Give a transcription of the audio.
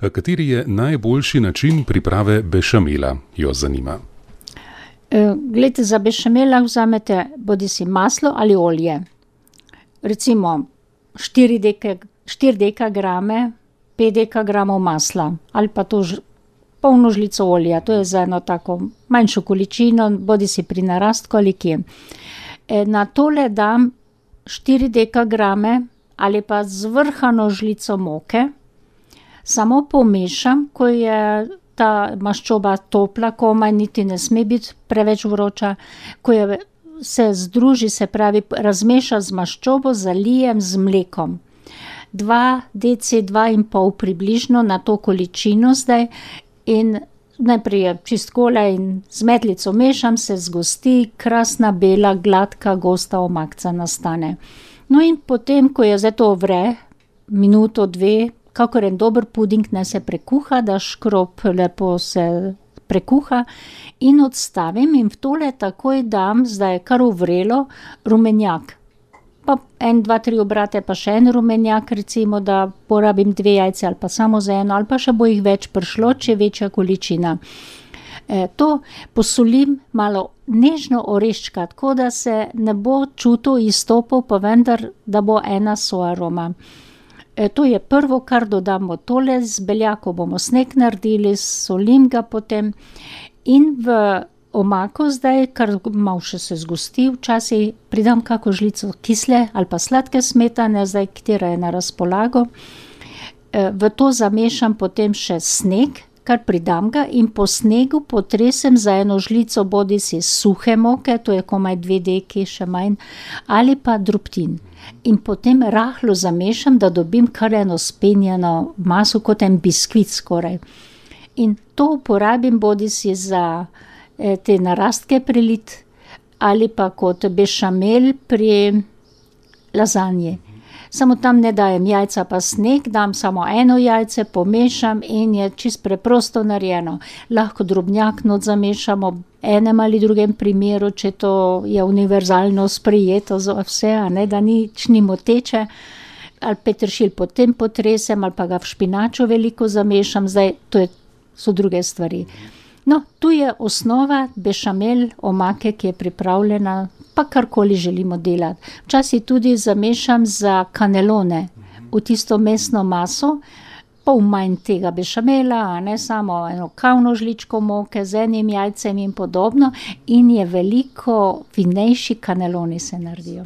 Kateri je najboljši način priprave bešamela, jo zanima. Glejte, za bešamela vzamete bodisi maslo ali olje. Recimo 4 dekagrame, 5 dekagramov masla ali pa to polno žlico olja. To je za eno tako manjšo količino, bodisi pri narastku ali kje. Na tole dam 4 dekagrame ali pa zvrhano žlico moke. Samo pomešam, ko je ta maščoba topla, komaj niti ne sme biti preveč vroča. Ko se združi, se pravi, razmeša z maščobo, zalijem z mlekom. 2 deci, 2,5 približno na to količino zdaj in najprej je čist gole in z metlico mešam, se zgosti, krasna, bela, gladka, gosta omakca nastane. No in potem, ko je zdaj to vre, minuto, 2, kakor en dober puding naj se prekuha, da škrob lepo se prekuha in odstavim in v tole takoj dam, zdaj je kar uvrelo, rumenjak. Pa 1, 2, 3 obrate pa še en rumenjak, recimo, da porabim 2 jajce ali pa samo za eno, ali pa še bo jih več prišlo, če je večja količina. To posolim malo nežno oreščka, tako da se ne bo čutil izstopov, pa vendar, da bo ena soaroma. To je prvo, kar dodamo tole, z beljako bomo sneg naredili, solim ga potem in v omako zdaj, kar malo še se zgosti, včasih pridam kako žlico kisle ali pa sladke smetane, zdaj katera je na razpolago. V to zamešam potem še sneg, kar pridam ga in po snegu potresem za eno žlico bodisi suhe moke, to je komaj 2 deki, še manj, ali pa drobtin. In potem rahlo zamešam, da dobim kar eno spenjeno maso, kot en biskvit skoraj. In to uporabim bodisi za te narastke prelit ali pa kot bešamel pri lazanji. Samo tam ne dajem jajca pa sneg, dam samo eno jajce, pomešam in je čisto preprosto narejeno. Lahko drobnjak not zamešamo enem ali drugem primeru, če to je univerzalno sprejeto za vse, a ne, da nič ni moteče. Ali peteršilj potem potresem ali pa ga v špinaču veliko zamešam, zdaj to so druge stvari. No, tu je osnova bešamel omake, ki je pripravljena, pa karkoli želimo delati. Včasih tudi zamešam za kanelone v tisto mesno maso, pol manj tega bešamela, a ne, samo eno kavno žličko moke z enim jajcem in podobno in je veliko finejši kaneloni se naredijo.